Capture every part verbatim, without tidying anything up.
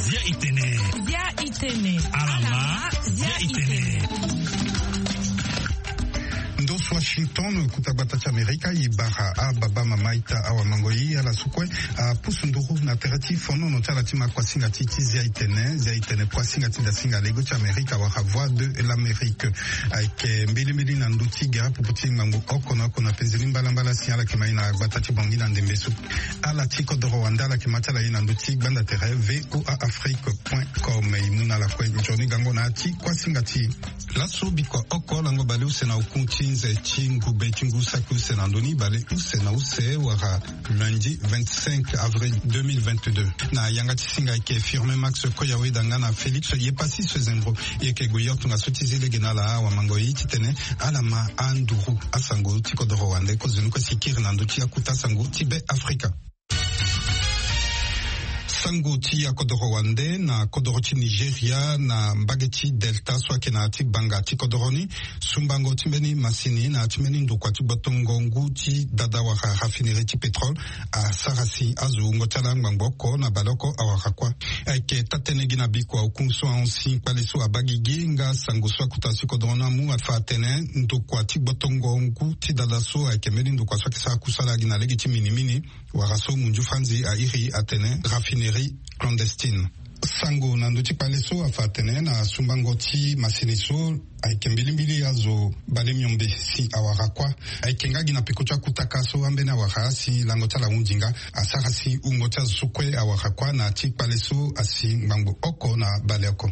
Zia itene. Zia itene. Alama. Zia itene. Ndo so Washington, kota gbata ti Amerika, e bara ababa, mama, ita, awamango, e ala so kue apusu nduru na tere ti fonono ti ala ti ma kuasinga ti ti Zia itene. Zia itene, kuasinga ti dasinga lego ti Amerika wala Voix de l'Amérique. Ayeke mbilimbili na ndö ti gere popo ti ngbangbo oko na oko na penze ni mbalambala si ala yeke ma e na gbata ti Bangui na ndembe so. Ala ti kodoro wande ala yeke ma ti ala e na ndö ti gbanda tere V O A Afrique point com. E mu na ala kue nzoni gango na ya ti kuasinga ti e. Laso bikua oko lango bale use na oku ti nze ti ngube ti ngu saki use na ndö ni, bale use na use wala lundi vingt-cinq avril deux mille vingt-deux. Na yanga ti singa ayeke Firmin Max Koyaweda nga na Félix Yepassis Zembro. E yeke gue yo tongaso ti zi lege na ala awamango, e titene ala ma anduru asango ti kodoro wande. Kozoni kue si kiri na ndö ti akota sango ti Be Afrika. Sango ti akodoro wande na kodoro ti Nigeria na mbage ti Delta so ayeke na ya ti gbanga ti kodoro ni. Sumbango ti mbeni masini na ya ti mbeni ndokua ti gbotongo ngu ti dada wala raffinerie ti pétrole asara si azo wungo ti ala ngbangbo oko na baleoko awara kuâ. Ayeke taa-tënë gi na bikua oku so ahon si kpale so abaa gigi nga sango so akota si kodoro ni amu afa atene ndokua ti gbotongo ngu ti dada so ayeke mbeni ndokua so ayeke sara kusala gi na lege ti minimini, wala so munzu franzi airi atene raffinerie clandestine. Sango na ndö ti kpale so afa atene na sumbango ti masini so ayeke mbilimbili azo bale miombe si awara kuâ. Ayeke nga gi na peko ti akutaka so ambeni awara si lango ti ala hundi nga, asara si wungo ti azo so kue awara kuâ na ya ti kpale so asi ngbangbo oko na baleoko.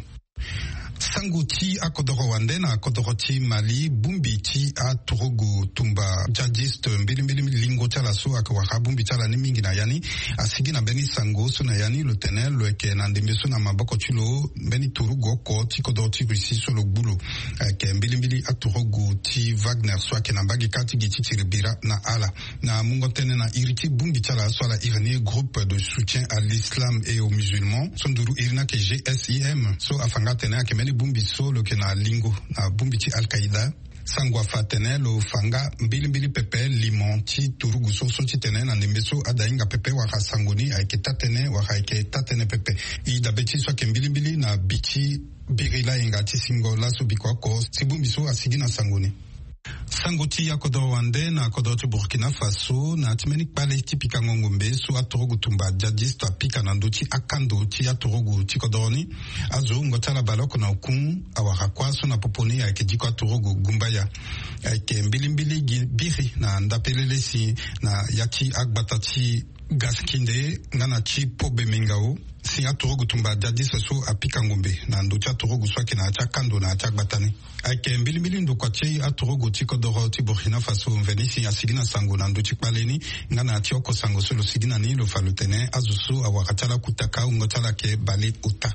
Sango ti akodoro wande na kodoro ti Mali, bongbi ti aturugu tumba djihadiste, mbilimbili lingo ti ala so ayeke wara bongbi ti ala ni mingi na ya ni, asigi na mbeni sango so na ya ni lo tene lo yeke na ndembe so na maboko ti lo mbeni turugu oko ti kodoro ti Russie so lo gbu lo. Ayeke mbilimbili aturugu ti Wagner so ayeke na mbage kâ ti gi ti tiri bira na ala. Na mungo tënë na iri ti bongbi ti ala so ala iri ni groupe de soutien à l'islam et aux musulmans, so nduru iri ni ayeke G S I M, so afa nga atene ayeke mbeni bongbi so lo yeke na lingo na bongbi ti Al-Qaïda. Sango afa atene lo fa nga mbilimbili pepe limo ti turugu so, so titene na ndembe so ada hinga pepe wala sango ni ayeke taa-tënë wala ayeke taa-tënë pepe. E dabe ti so ayeke mbilimbili na bi ti biri layenga ti singo laso bikua oko si bongbi so asigi na sango ni. Sango ti akodoro wande na kodoro ti Burkina Faso, na ya ti mbeni kpale ti pikango ngombe so aturugu tumba djihadiste apika na ndö ti akando ti aturugu ti kodoro ni, azo wungo ti ala baleoko na oku awara kuâ so na popo ni ayeke diko aturugu gumbaya. Ayeke mbilimbili gi biri na ndapelele si na ya ti agbata ti Gaskinde nga na ti Pobe Mengao, si aturugu tumba djihadiste so apika ngombe na ndö ti aturugu so ayeke na ya ti akando na ya ti agbata ni. Ayeke mbilimbili ndokua ti aturugu ti kodoro ti Burkina Faso mveni si asigi na sango na ndö ti kpale ni, nga na ya ti oko sango so lo sigi na ni lo fa lo tene azo so awara ti ala kutaka wungo ti ala ayeke bale ota.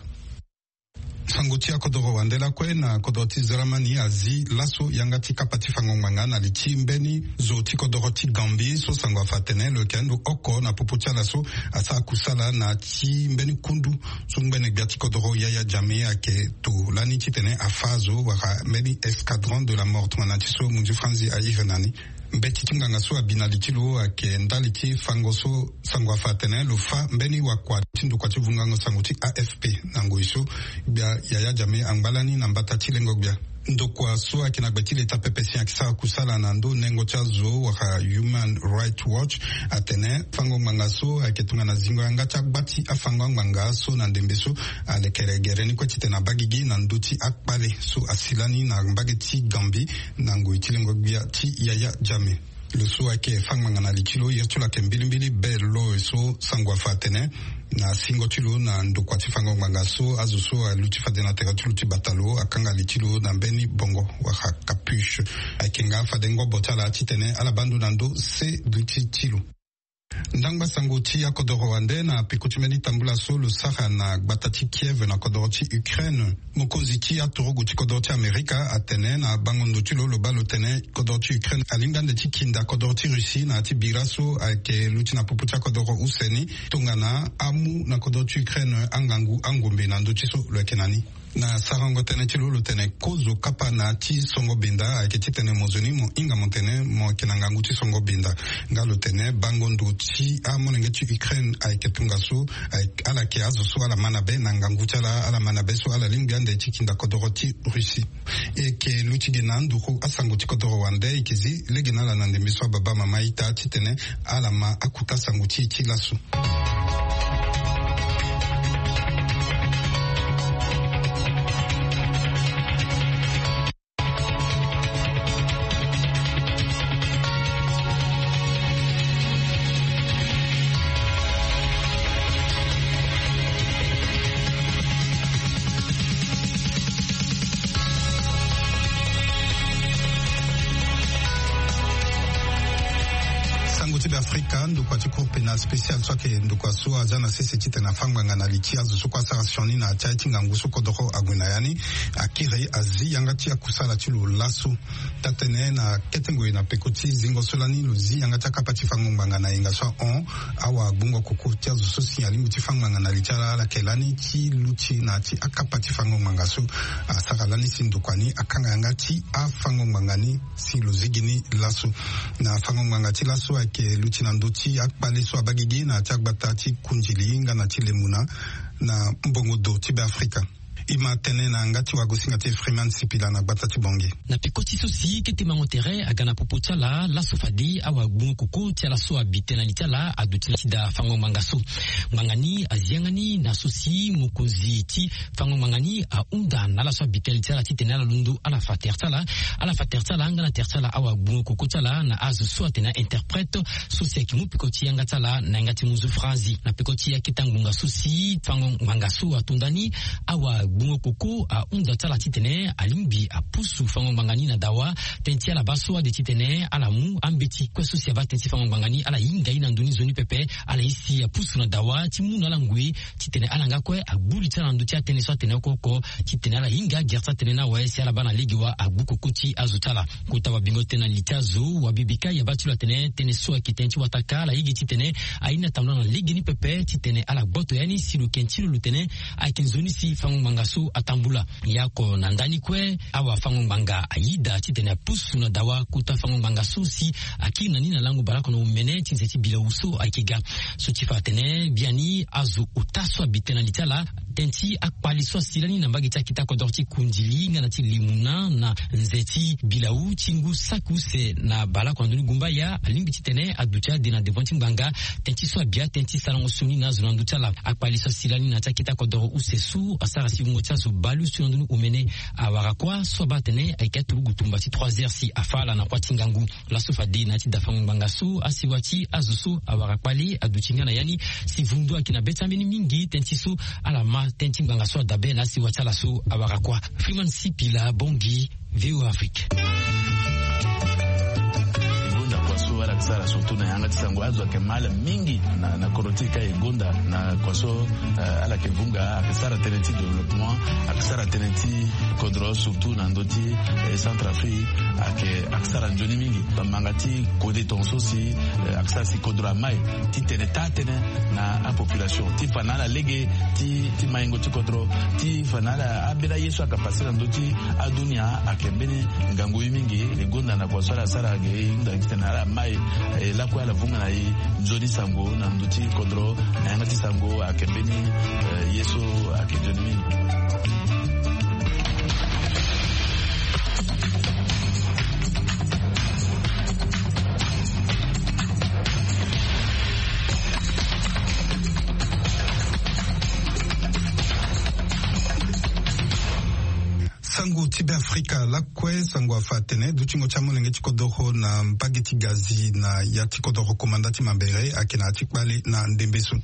Sango ti akodoro wande lakue na kodoro ti Zeramani azi laso yanga ti kapa ti fango ngbanga na li ti mbeni zo ti kodoro ti Gambie so sango afa atene lo yeke ando oko na popo ti ala so asara kusala na ti mbeni kundu so ngbene gbia ti kodoro Yaya Jammeh ayeke to lani titene afa azo wala mbeni escadron de la mort tongana ti so munzu franzi airi na ni. Mbeti ti nganga so abi na li ti lo ayeke ndali ti fango so sango afa atene lo fa mbeni wakua ti ndokua ti vungango sango ti A F P na ngoi so gbia Yaya Jammeh angba lani na mbata ti lengo gbia. Ndokua so ayeke na gbe ti leta pepe si ayeke sara kusala na ndö nengo ti azo wala Human Rights Watch atene fango ngbanga so ayeke tongana zingo yanga ti agba ti afango angbanga so na ndembe so alekere gere ni kue titene abaa gigi na ndö ti akpale so asi lani na mbage ti Gambie na ngoi ti lengo gbia ti Yaya Jammeh. Lo so ayeke fa ngbanga na li ti lo, iri ti lo ayeke mbilimbili be lo so sango afa atene na singo ti lo na ndokua ti fango ngbanga so azo so aluti fade na tere ti lo ti bata lo akanga li ti lo na mbeni bongo wala capuche. Ayeke nga fade ngobo ti ala titene ala baa ndo na ndö se duti ti lo. Ndangba sango ti akodoro wande na peko ti mbeni tambula so lo sara na gbata ti Kiev na kodoro ti Ukraine. Mokonzi ti aturugu ti kodoro ti Amerika atene na bango ndo ti lo lo baa lo tene kodoro ti Ukraine alingbi ande ti kinda kodoro ti Russie na ya ti bira so ayeke luti na popo ti akodoro use ni tongana amu na kodoro ti Ukraine angangu angombe na ndö ti so lo yeke na ni. Na sarango tënë ti lo, lo tene kozo kapa na ti songo benda ayeke titene mo zo ni mo hinga mo tene mo yeke na ngangu ti songo benda. Nga lo tene bango ndo ti amolenge ti Ukraine ayeke tongaso. Ala yeke azo so ala ma na be na ngangu ti ala, ala ma na be so ala lingbi ande ti kinda kodoro ti Russie. E yeke luti ge na nduru asango ti kodoro wande e yeke zi lege na ala na ndembe so ababa mama ita titene ala ma akuta sango ti e ti laso. Sango ti Beafrika, ndokua ti Cour pénale spéciale so ayeke ndokua so aza na sese titene afa ngbanga na li ti azo so kue asara sioni na ya ti aye ti ngangu so kodoro ague na ya ni, akiri azi yanga ti akusala ti lo laso. Taa-tënë na kete ngoi na peko ti zingo so lani lo zi yanga ti akapa ti fango ngbanga na yenga so ahon awagbungo koko ti azo so si alingbi ti fa ngbanga na li ti ala, ala yeke lani ti luti na ya ti akapa ti fango ngbanga so. Asara lani si ndokua ni akanga yanga ti afango ngbanga ni si lo zi gi ni laso. Na fango ngbanga ti laso ayeke luti na ndö ti akpale so abaa gigi na ya ti agbata ti Kundili nga na ti Lemuna na mbongo do ti Beafrika. E ma tene na yanga ti wagosinga ti Freeman Sipila na gbata ti Bangui. Na peko ti so si kete mango tere aga na popo ti ala, laso fade awagbungo koko ti ala so abi tënë na li ti ala aduti na ti da fango ngbanga so. Ngbanga ni azi yanga ni na so si mokonzi ti fango ngbanga ni ahunda na ala so abi tënë na li ti ala titene ala londo ala fa tere ti ala. Ala fa tere ti ala nga na tere ti ala awagbungo koko ti ala na azo so atene a-interprète so si ayeke mu peko ti yanga ti ala na yanga ti muzu franzi. Na peko ti akete ngbonga so si fango ngbanga so ato nda ni, awagbungo koko ahunda ti ala titene alingbi apusu fango ngbanga ni na dawa. Tënë ti ala baa so ade titene ala mu ambeti kue so si abaa tënë ti fango ngbanga ni, ala hinga ye na ndö ni nzoni pepe. Ala ye si apusu na dawa ti mu na ala ngoi titene ala nga kue agbu li ti ala na ndö ti atënë so atene oko oko, titene ala hinga agere ti atënë ni awe si ala baa na lege wa agbu koko ti azo ti ala. Kota wabingo tënë na li ti azo, wabibi kâ e abaa ti lo atene tënë so ayeke tënë ti wataka, ala ye gi titene aye ni atambula na legeni pepe titene ala gboto ya ni si lo yeke nti lo lo tene ayeke nzoni si fango ngbanga so atambula. Ya oko na ndani kue, awafango ngbanga ayida titene apusu na dawa kota fango ngbanga so si akiri na ni na lango baleoko na omene ti nze ti bilawu so ayeke ga. So ti fa atene biani azo ota so abi tënë na li ti ala, tënë ti akpale so asi lani na mbage ti akita kodoro ti Kundili nga na ti Lemuna na nze ti bilawu ti ngu saki use na baleoko na ndö ni gumbaya, alingbi titene aduti ade na devant ti ngbanga. Tënë ti so abi atënë ti sarango sioni na azo na ndö ti ala. Akpale so asi lani na ya ti akita kodoro use so asara si wungo ti azo baleuse na ndö ni omene awara kuâ so abaa atene ayeke aturugu tumba ti trois heures si afa ala na kuâ ti ngangu. Laso fade na ya ti da fango ngbanga so, asiwa ti azo so awara kpale aduti nga na ya ni si vundu ayeke na be ti ambeni mingi tënë ti so ala ma tënë ti ngbanga so adabe na asiwa ti ala so awara kuâ. Freeman Sipila, Bangui, V O A Afrique. E gonda kua so ala yeke sara surtout na yanga ti sango, azo ayeke ma ala mingi na, na kodro ti e ka e gonda na kua so, eh, ala yeke vunga, ayeke sara tënë ti développement, ayeke sara tënë ti kodro surtout na ndö ti, eh, Centrafrique, ayeke, ayeke sara nzoni mingi. Bamanga ti kode tongaso si, eh, ayeke sara si kodro amai titene taa-tënë na apopulation ti fa na ala lege ti, ti maingo ti kodro, ti fa na ala ambeni aye so ayeke pase na ndö ti adunia ayeke mbeni ngangu ye mingi. E gonda na kua so ala sara ge e hunda titene ala mai, eh, lakue ala vunga na e nzoni sango na ndö ti kodro na yanga ti sango ayeke mbeni, eh, ye so ayeke nzoni mingi. Sango ti Beafrika lakue, sango afa atene dutingo ti amolenge ti kodoro na mbage ti Gazi na ya ti kodoro komanda ti Mambere ayeke na ya ti kpale na ndembe so.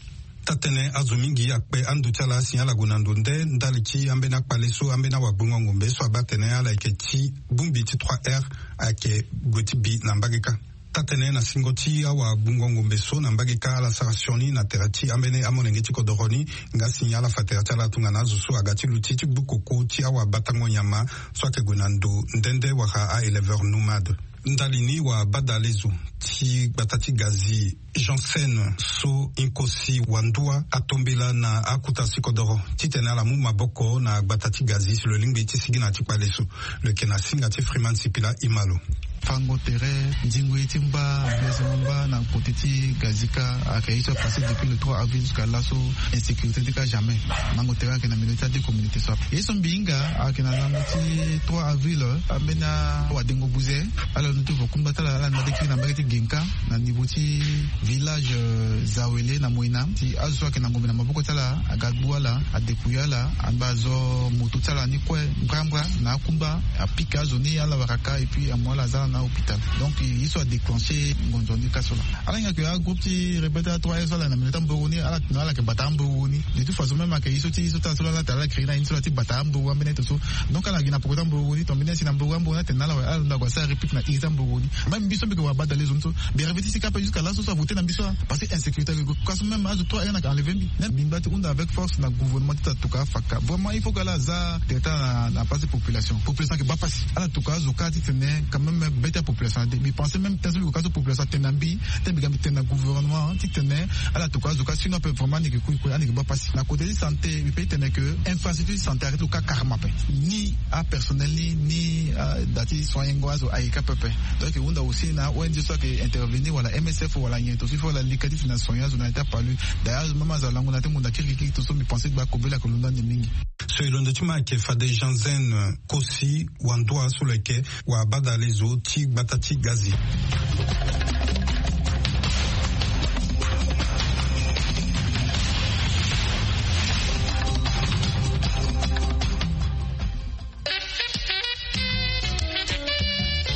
Taa-tënë azo mingi akpe ando ti ala si ala gue na ndo nde ndali ti ambeni akpale so ambeni awagbungo ngombe so abaa atene ala yeke ti bongbi ti trois R ayeke gue ti bi na mbage kâ. Taa-tënë na singo ti awagbungo ngombe so na mbage kâ ala sara sioni na tere ti ambeni amolenge ti kodoro ni nga si ala fa tere ti ala tongana azo so aga ti luti ti gbu koko ti awabatango nyama so ayeke gue na ndo nde nde wala a-éleveur nomade. Ndali ni wabadalezo ti gbata ti Gazi Janssen so Nkosi Wandua atombela na akuta sikodoro titene ala mu maboko na gbata ti Gazi si lo lingbi ti sigi na ti kpale so. Lo yeke na singa ti Freeman Sipila Imalo. Fango tere ndingo ye ti mba, blessé mba na kote ti Gazi ka, ayeke ye so apassé depuis le trois avril jusqu'à laso. Insécurité ti ka jamais. Mango tere ayeke na milieu ti ade communauté so ape. Ye so mbi hinga ayeke na lango ti trois avril, ambeni awadengo buze ala londo ti vo kungba ti ala, ala na mbage ti kiri na mbage ti Genka, na niveau ti village, euh, Zawele na Moina, si azo so ayeke na ngombe na maboko ti ala aga gbu ala, adepouillé ala, angba azo moto ti ala ni kue mbrambra na akungba, apika azo ni ala wara ka, et puis amu ala aza ala na hôpital. Donc ye so adéclenché ngonzo ni ka so laa. Ala hinga ke agroupe ti rebelle ti a-trois R so ala na milieu ti amboro ni, ala tene ala yeke bata amboro ni. De toute façon même ayeke ye so ti, ye so ti ala so laa, ala tene ala créé na ye ni so laa ti bata amboro ambeni aye to so. Donc ala gi na poko ti amboro ni, tongana mbeni aye si na amboro amboro ni atene na ala awe, ala londo ague asara réplique na iri ti amboro ni. Même mbi so mbi yeke wabadalezo ni so, mbi arrivé ti sika ape jusqu'à laso so avoté na mbi so, ah, parce que insécurité ayeke gue. Ka so même azo trois R ni ayeke enlevé mbi. Même mbi ngba ti hunda avec force na gouvernement ti tatoka afaka. Vraiment il faut que ala za tere ti ala na, na place ti population. Population ayeke baa pasi. Ala toka azo kâ titene quand même be ti apopulation ade. Mbi pensé même tënë so mbi gue kâ so population atene na mbi, titene mbi ga mbi tene na gouvernement titene ala toka azo kâ, sinon ape vraiment ani yeke kui kue, ani yeke baa pasi. Na côté ti santé mbi peut ti tene que infrastructure ti santé ayeke ti lo kâ carrément ape. Ni apersonnel ni, ni, ah, da ti soignengo azo ayeke kâ pepe. Donc e hunda aussi na O N G so ayeke intervenir wala M S F wala nyen to so il faut ala leke titene ala soigner azo na ya ti apalu. D'ailleurs même azo alango na ya ti ngonda kirikiri to so mbi pensé ti gba kobela ayeke londo ande mingi. So e londo ti ma ayeke fade Janssen Kosi Wandua so lo yeke wabadalezo ti gbata ti Gazi.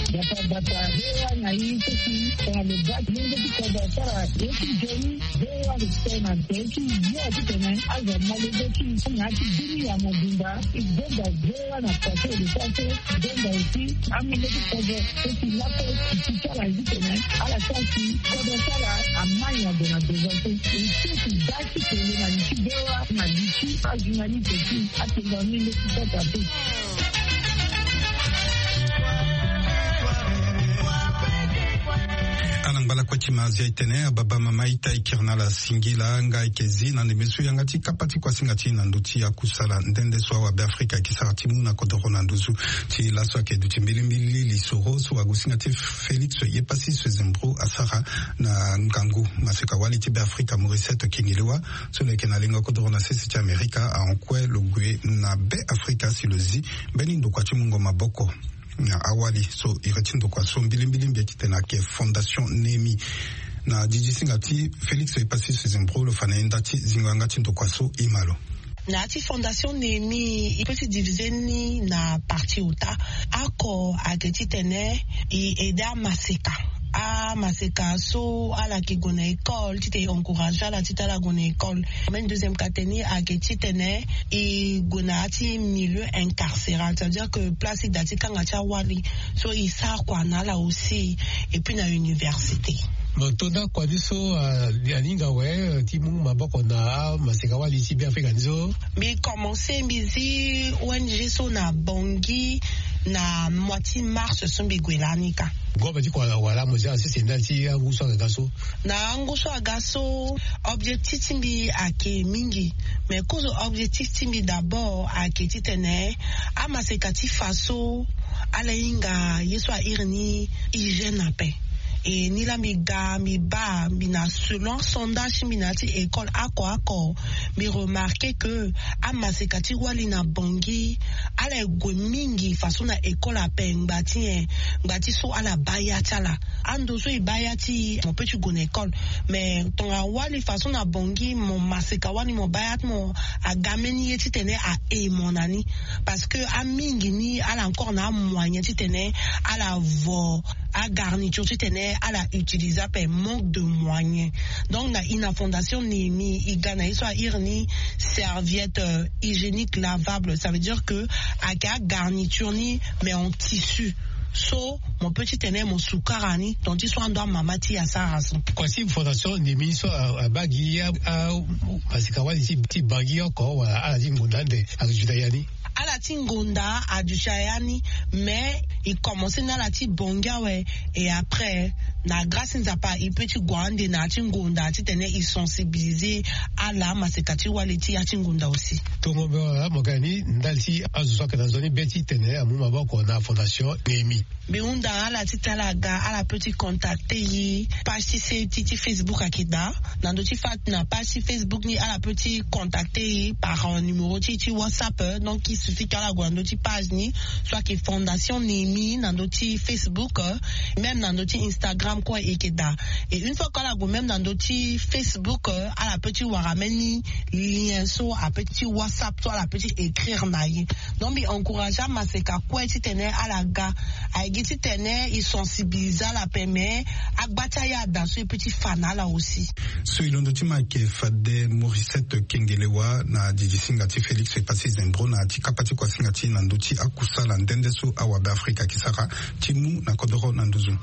Bata bata, V O A na i so si tongana lo baa ti lenge ti kodro asara ye ti nzoni. V O A lo tene na tere ti yo titene azo amolenge ti i na ya ti bini ya mobimba. I gbenda V O A na pase lo sara so, i gbenda aussi amolenge ti kodro so si laso i ti ti ala titene ala sara si kodro ti ala ama nyango na devant so. I so si baa ti tene na li ti V O A na li ti ajournaliste ti atene na ni leti kota te. Ala ngba lakue ti ma azia e tene ababa mama ita e kiri na ala singila nga e yeke zi na ndembe so yanga ti kapa ti kuasinga ti e na ndö ti akusala nde nde so awabeafrika ayeke sara ti mu na kodoro na nduzu ti laso ayeke duti mbilimbili lisoro so wagosinga ti Félix Yepassi Sezembro asara na ngangu maseka wali ti Beafrika Morisset Kinilewa. So lo yeke na lengo kodoro na sese ti Amerika ahon kue lo gue na Beafrika si lo zi mbeni ndokua ti mungo maboko. Na awali so iri ti ndokua so mbilimbili mbi ye ti tene ayeke Fondation Nemi. Na didisinga ti Félix Yepassi Sezembro lo fa na ye nda ti zingo yanga ti ndokua so e ma lo. Na ya ti Fondation Nemi e peut ti divisé ni na partie ota. Oko ayeke titene e aidé amaseka. Amaseka so ala yeke gue na école titene e encouragé ala titene ala gue na école. Même deuxième catégorie ayeke titene e gue na ya ti milieu incarcéral, c'est-à-dire que place ti da ti kanga ti awali. So e sara kua na ala aussi, et puis na université. Mo to nda kua ni so, ah, aninga awe, eh, ti mu maboko na amaseka wali ti Beafrika ni so. Mbi commencé mbi zi O N G so na Bangui na mois ti mars so mbi gue lani ka. Ngombe ti kua wala mo zi ala sese ndali ti angu so aga so. Na angu so aga so, objectif ti mbi ayeke mingi. Mais kozo objectif ti mbi d'abord ayeke titene amaseka ti fa so ala hinga ye so a iri ni hygiène ape. E ni laa mbi ga mbi baa mbi na selon sondage ti mbi na ya ti école oko oko, mbi remarqué que amaseka ti wali na Bangui ala gue mingi faso na école ape ngba ti nyen? Ngba ti so ala baa ya ti ala. Ando so e baa ya ti e mo peut ti gue na école. Mais tongana wali faso na Bangui mo maseka wali mo baa ya ti mo aga mbeni ye titene a e mo na ni. Parce que amingi ni ala encore na amoyen titene ala vo agarniture titene ala utilisé ape, manque de moyen. Donc na i na Fondation Nemi e ga na ye so a iri ni serviette, euh, hygiénique lavable, ça veut dire que ayeke agarniture ni mais en tissu. So mo peut ti tene mo sukara ni, donc ti so ando amama ti e asara so. Kua ti Fondation Nemi so abaa gi amaseka wali ti Bangui oko wala ala ti ngonda ande ayeke zi na ya ni? Ala ti ngonda aduti aya ni. Mais e commence na ala ti bongi awe. Et après, na grâce ti Nzapa, e peut ti gue ande na ya ti ngonda titene e sensibiliser ala maseka ti wali ti ya ti ngonda aussi. Tongo be wala mo ga ni ndali ti azo so ayeke na nzoni be titene amu maboko na fondation Néhémie. Mbi hunda ala ti tala aga, ala peut ti contacter e. Page ti se ti ti Facebook ayeke daa. Na ndö ti fa na page ti Facebook ni, ala peut ti contacter e par numéro ti ti WhatsApp. Donc il suffit que ala gue na ndö ti page ni, soit que Fondation Néhémie na ndö ti Facebook, même na ndö ti Instagram kue e yeke daa. Et une fois que ala gue même na ndö ti Facebook, ala peut ti wara même ni lien so a peut ti WhatsApp, so ala peut ti écrire na e. Donc mbi encourager amaseka kue titene ala ga. Aye gi titene e sensibiliser ala pe, mais agba ti aya ada so e peut ti fa na ala aussi. So e londo ti ma ayeke fade Mauricette Kengelewa na didi singa ti Félix Passy Zembro na ti kapa ti kuasinga ti na ndö ti akusala nde nde so awabe Afrika ayeke sara ti mu na kodoro na nduzu.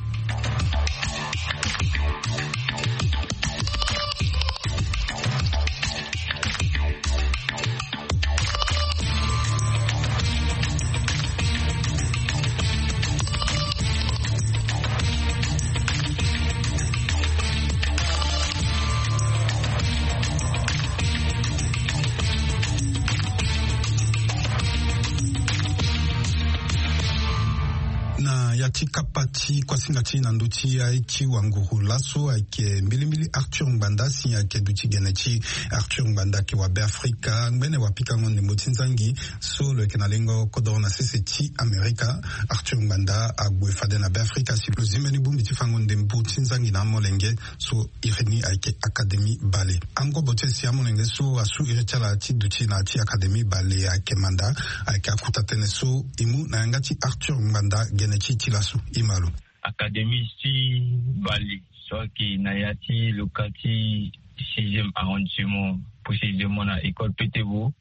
Na ya ti kapa ti kuasinga ti na ndö ti aye ti wanguru laso ayeke mbilimbili Arthur Ngbanda si ayeke duti gene ti Arthur Ngbanda ayeke wa Beafrika ngbene wapikango ndembo ti nzangi so lo yeke na lengo kodoro na sese ti Amerika. Arthur Ngbanda ague fade na Beafrika si lo zi mbeni bongbi ti fango ndembo ti nzangi na amolenge so iri ni ayeke Académie Bale. Angobo ti e si amolenge so asu iri ti ala ti duti na ya ti Académie Bale ayeke manda, ayeke akuta tënë so e mu na yanga ti Arthur Ngbanda gene ti e ti laso. E ma lo. Académie ti Bale so ayeke na ya ti loka ti sixième arrondissement, précisément na école Petebo,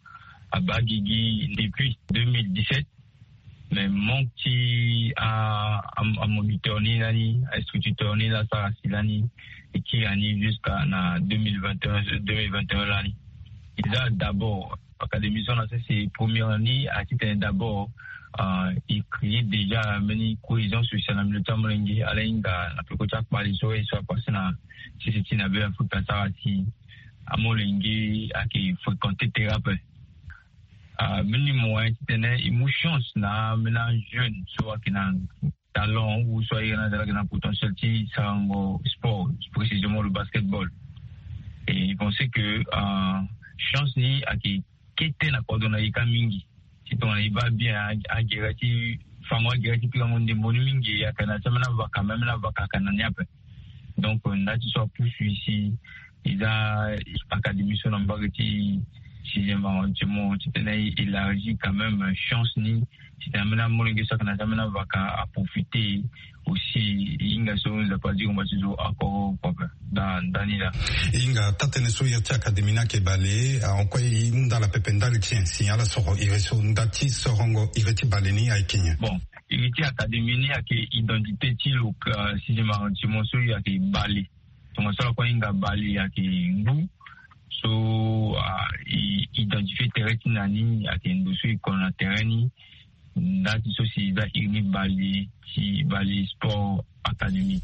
abaa gigi depuis deux mille dix-sept. Mais manque ti a, a, amoniteur ni lani, ainstituteur ni laa asara si lani, e kiri ani jusqu'à na deux mille vingt et un, deux mille vingt et un lani. E za d'abord Académie so na sese première ni, a titene d'abord, euh, e créer déjà mbeni cohésion sociale na milieu ti amolenge, ala hinga na peko ti akpali so e so apasse na sese ti na Beafrika asara si amolenge ayeke fréquenter terrain ape. Ah, mbeni moyen titene e mu chance na mbeni ajeune so ayeke na talent ou so aye na ala ayeke na potentiel ti sarango sport, précisément le basketball. Et je pense que, ah, chance ni ayeke kete na kodro na e kâ mingi. Si tongana e baa bien a, agere ti fango agere ti pikango ndembo ni mingi, ayeke na ti ambeni avaka, même na avaka ayeke na ni ape. Donc, euh, nda ti so apusu e si e za Académie so na mbage ti sixième arrondissement titene e élargi quand même chance ni, titene ambeni amolenge so ayeke na ti ambeni avaka aprofiter aussi. E hinga so Nzapa azi ngomba ti zo oko oko ape. Da, ndani laa. E hinga taa-tënë so iri ti Académie ni ayeke bale, ahon kue e hunda ala pepe ndali ti nyen si ala soro iri so nda ti sorongo iri ti bale ni ayeke nyen? Bon, iri ti Académie ni ayeke identité ti lo, euh, sixième arrondissement so e ayeke bale. Tongaso ala kue ahinga bale ayeke ngu so, ah, e identifier terrain ti na ni ayeke ndo so e kono na terrain ni. Nda ti so si e za iri ni bale ti bale sport académie.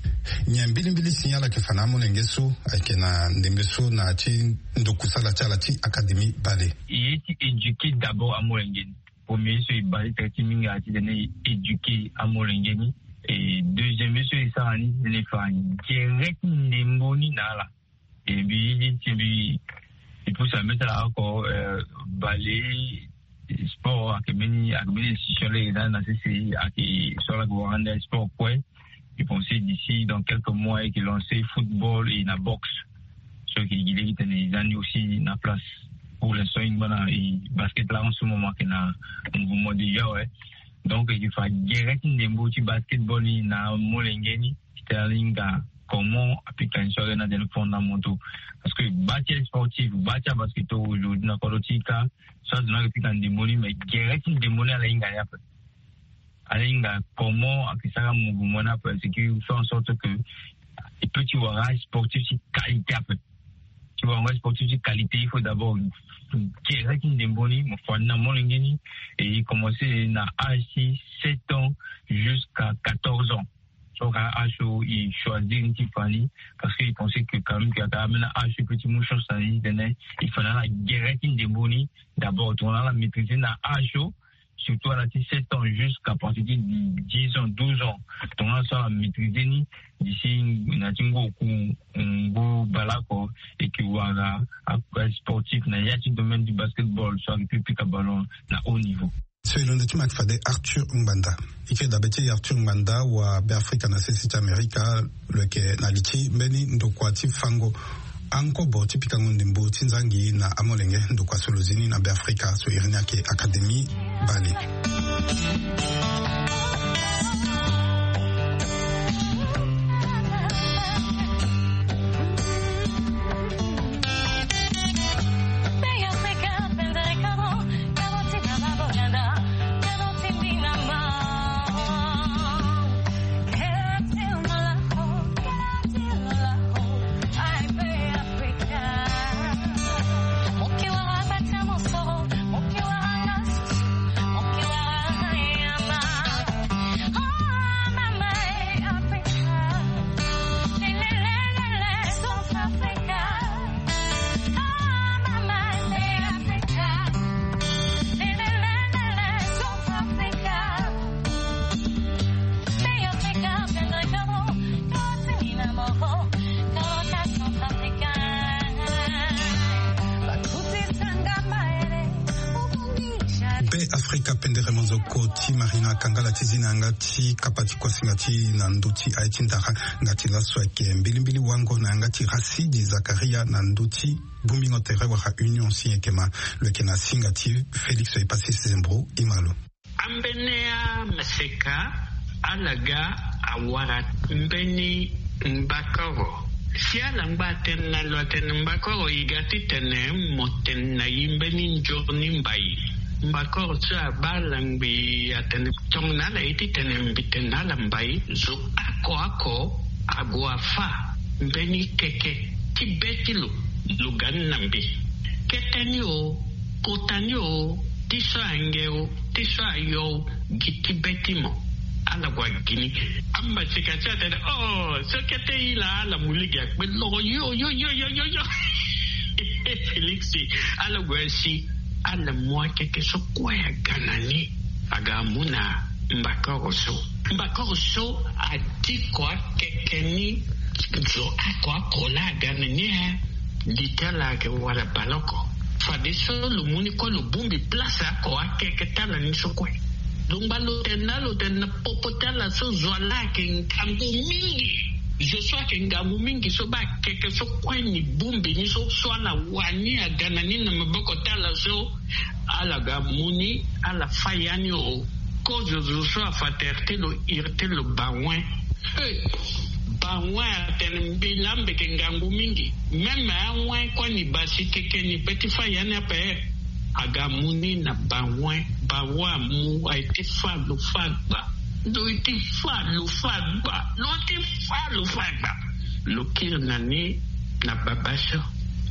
Nyen mbilimbili si ala yeke fa na amolenge so ayeke na ndembe so na ya ti ndokusala ti ala ti Académie bale? E ye ti éduquer d'abord amolenge ni. Premier so e baa ti tere ti mingi ayeke titene e éduquer amolenge ni. E deuxième ye so e sara ni titene e fa gere ti ndembo ni na ala. E mbi ye ti mbi, mbi pusa mbi ti ala oko, euh, bale sport ayeke mbeni, ayeke mbeni institution lege na sese ayeke so ala yeke wara ande sport kue. Je pense d'ici dans quelques mois e yeke lancer football et na boxe. So e yeke gi lege titene e za ni aussi na place. Pour l'instant e ngba na e basket laa en ce moment ayeke na mouvement déjà, ouais. Donc e yeke fa gere ti ndembo ti basketball ni na molenge ni titene ala hinga comment apika ni so ayeke na tene fondamentaux. Parce que bâ ti asportif, bâ ti abasketteurs aujourd'hui na kodro ti e kâ, so azo ni ayeke pika ndembo ni, mais gere ti ndembo ni ala hinga ni ape. Ala hinga comment ayeke sara mouvement ni ape, c'est que faire en sorte que e peut ti wara asportif ti qualité ape. Ti wara asportif ti qualité, il faut d'abord Gere ti ndembo ni mo fa ni na molenge ni. E commence na âge ti sept ans jusqu'à quatorze ans. So ka âge so e choisir ni ti fa ni, parce que e pense que quand même que aka ambeni âge so e peut ti mu chance na ni titene e fa na ala gere ti ndembo ni. D'abord tongana ala maîtriser na âge so, surtout ala ti sept ans jusqu'à partir ti dix ans, douze ans. Tongana so ala maîtriser ni, d'ici na ti ngu oku ngu bale oko, e ke wara a sportif na ya ti domaine du basketball, so ayeke pi pika ballon na haut niveau. So e londo ti maki fade Arthur Ngbanda. E ke dabe ti Arthur Ngbanda wa Beafrika na sese ti Amerika, lo yeke na li ti mbeni ndokua ti fango ankobo ti pikango ndembo ti nzangi na amolenge. Ndokua so lo zi ni na Beafrika so iri ni ayeke Académie Bale. Be Afrika pendere monzoko ti Marina Kangala ti zi na yanga ti kapa ti kuasinga ti na ndö ti aye ti ndara. Nga ti laso ayeke mbilimbili wango na yanga ti Rasidi Zakaria na ndö ti bongbingo tere wala Union si e yeke ma. Lo yeke na singa ti Félix Epasis Zembro. E ma lo. Ambeni amaseka ala ga awara mbeni mbakoro. Si ala ngba atene na lo atene mbakoro e ga titene mo tene na e mbeni nzoni mbai. Mbakoro so abaa ala ngbii atene tongana ala ye titene mbi tene na ala mbai, zo oko oko ague afâ mbeni keke ti be ti lo, lo ga ni na mbi. Kete ni o, kota ni o, ti so ange o, ti so ayo o, gi ti be ti mo. Ala gue agi ni. Amaseka ti atene, oh, so kete e laa ala mu lege akpe loro yo yo yo yo yo yo. Félix, ala gue asi, ala mu akeke so kue aga na ni. Aga amu na mbakoro so. Mbakoro so adi ko akeke ni zo oko oko laa aga na ni, eh. Li ti ala ayeke wara bale oko. Fadeso lo mu ni kue lo bongbi place oko akeke ti ala ni so kue. Lo ngba lo tene na, lo tene na popo ti ala so zo wa laa ayeke ngangu mingi. Zo so ayeke ngangu mingi so baa akeke so kue ni bongbi ni so, so ala wa ni aga na ni na maboko ti ala so. Ala ga mu ni, ala fâ ya ni o. Kozo zo so afa tere ti lo iri ti lo bawen. He, bawen atene mbi laa mbi yeke ngangu mingi. Même awen kue ni basi keke ni pe ti fâ ya ni ape. Aga mu ni na bawen, bawen amu, aye ti fâ lo fâ gba. Lo ye ti fâ lo fâ gba. Lo ye ti fâ lo fâ gba. Lo kiri na ni na baba so.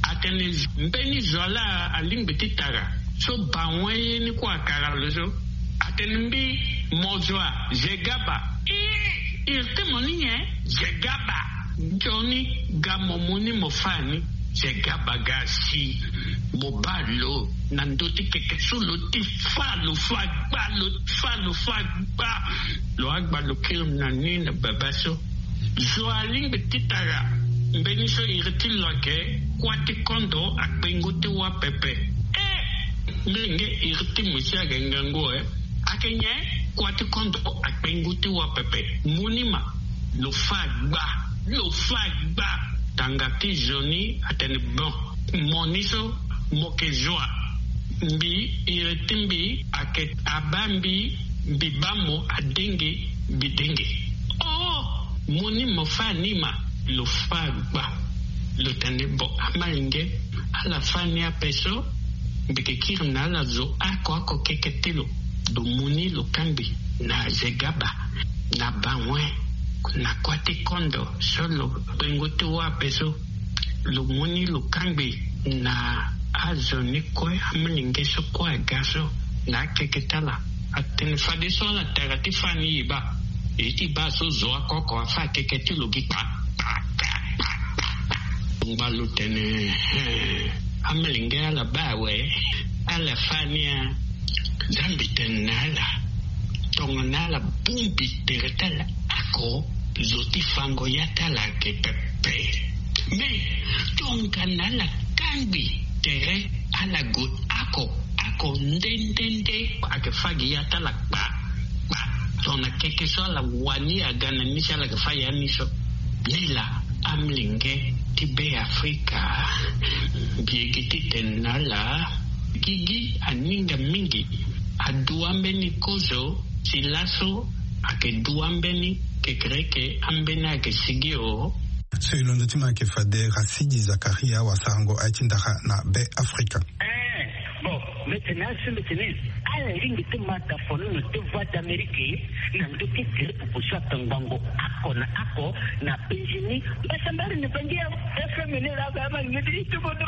Atene mbeni zo wa laa alingbi ti tara. So bawen ye ni kue akara lo so. Atene mbi mo zo wa, ze gaba. Ih, iri ti mo ni nyen? Ze gaba. Nzoni ga mo mu ni mo fâ ni. Ze gaba ga si. Mo baa lo na ndö ti keke so lo ti fâ lo fâ gba, lo fâ lo fâ gba. Lo agba lo kiri na ni na baba so. Zo alingbi ti tara mbeni so iri ti lo ayeke kuâ ti kondo akpengo ti wâ pepe. Eh, mbi yenge iri ti mo si ayeke ngangu, eh. Ayeke nyen? Kuâ ti kondo akpengo ti wâ pepe. Mu ni ma. Lo fâ gba. Lo fâ gba. Tanga ti zo ni atene bon. Mo ni so mo yeke zo wa. Mbi, iri ti mbi ayeke abaa mbi, mbi baa mo adenge, mbi denge. Oh, mo ni mo fâ ni ma, lo fâ gba. Lo tene bon, amalenge, ala fâ ni ape so, mbi yeke kiri na ala zo oko oko keke ti lo. Lo mu ni lo kangbi na ze gaba, na bawen, na kuâ ti kondo so lo kpengo ti wâ ape so. Lo mu ni lo kangbi na Azo ni kue, amolenge so kue aga so na akeke ti ala, atene fadeso ala tara ti fa ni e baa. E ti baa so zo oko oko afa akeke ti lo gi kpa kpa kpa kpa. Ngba lo tene, eh, amolenge ala baa awe, ala fa ni a. Nzambi tene na ala, tongana ala bongbi tere ti ala oko, zo ti fango ya ti ala ayeke pepe. Me tongana ala kangbi tere, ala gue oko oko nde nde nde, ayeke fa gi ya ti ala kpa kpa. Tongana keke so ala wani aga na ni si ala yeke fa ya ni so. Nilaa amolenge ti Be Afrika, mbi yeke titene na ala, gigi aninga mingi. Adua mbeni kozo ti laso, ayeke dua mbeni kekereke, ambeni ayeke sigi o. So e londo ti mo ayeke fade Rasidi Zakaria, wasarango aye ti ndara na Be Afrika. Eh, bon, mbi tene asi, mbi tene ala lingbi ti mata fonono ti Voix d'Amérique na ndö ti gere pupu so atongbango oko na oko na penzi ni. Mbasambari ni bangi ya F M ni la ba ma ni ti tubo do.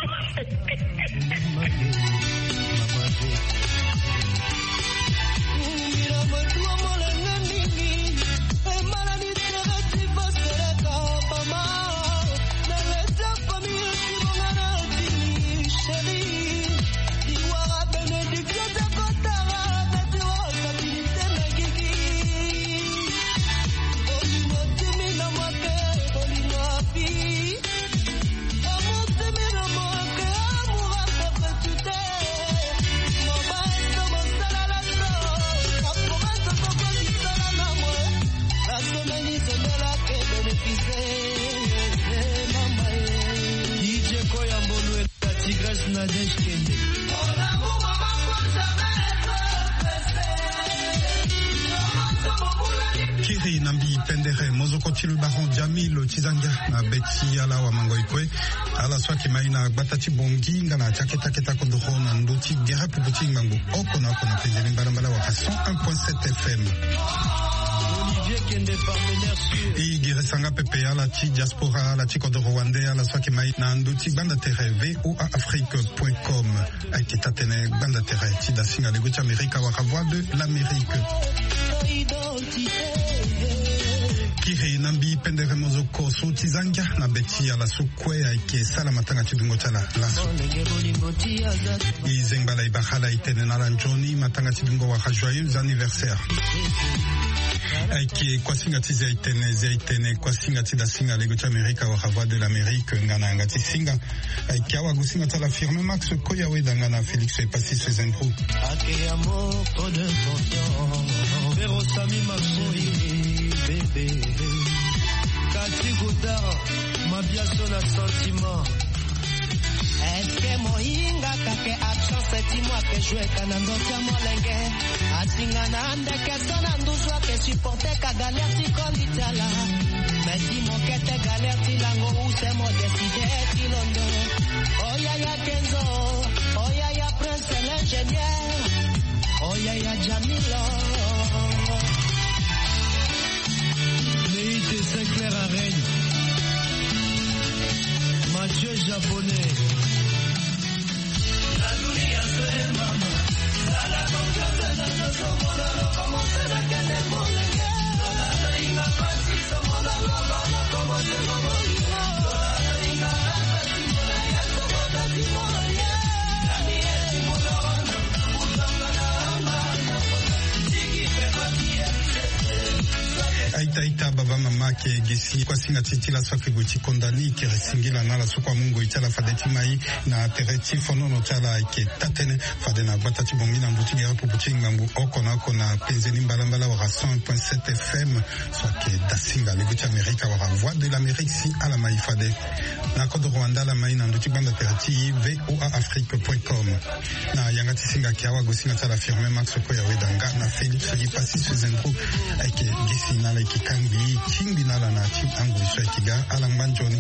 Kiri na mbi pendere mozoko ti lo baron Jamil Tizangia na be ti ala wamangoi kue. Ala so ayeke mai na gbata ti Bongi nga na ti akete akete kodoro na ndö ti gere pupu ti ngbangbo oko na oko na penze ni mbalambala wala cent un point sept F M. E gere sanga pepe ala ti diaspora, ala ti kodoro wande, ala so ayeke mai na ndö ti gbanda tere V O A Afrique point com. Ayeke taa-tënë gbanda tere ti dasinga lego ti Amerika wala Voix de l'Amérique. Kiri na mbi pendere mozoko so Tizangia na be ti ala so kue ayeke sala matanga ti dungo ti ala laso. E zengba ala, e bara ala, e tene na ala nzoni matanga ti dungo wala joyeux anniversaire. Ayeke kuasinga ti zia e tene, zia e tene kuasinga ti dasinga lego ti Amerika wala Voix de l'Amérique nga na yanga ti singa. Ayeke awagosinga ti ala Firmin Max Koyaweda nga na Félix Epassis Sezendro. Ake ya moko de tonton. Pero Sami Maxoy, bébé. Kati Godard, Mabiaso na sentiment. Est-ce que mohinga kake absence ti mo ake jouer ka na ndo ti molenge? Atinga na ndeke so na nduzu ake supporter ka galère ti koli ti ala. Mais ti mo kete galère ti lango use mo décider ti londo. Oh yaya Kenzo, oh yaya Prince l'ingénieur, oh yaya Jamilo. Neite Sinclair Arène. Mathieu Japonais. Aita, aita, baba, mama, ake gi si kuasinga ti ti laso ake gue ti konda ni, kiri singila na ala so kue amu ngoi ti ala fade ti mai na tere ti fonono ti ala. Ayeke taa-tënë fade na gbata ti Bongi na ndö ti gere pupu ti ngbangbo oko na oko na penze ni mbalambala wala cent un point sept F M so ayeke dasinga lego ti Amerika wala Voix de l'Amérique si ala mai fade. Na kodoro wande ala mai na ndö ti gbanda tere ti V O A Afrique point com. Na yanga ti singa ayeke awagosinga ti ala Firmin Max Koyaweda nga na Félix Epassis Sezendro. Ayeke gi si na ala, ayeke kangbi tingbi na ala na ti angoi so ayeke ga. Ala ngba nzoni.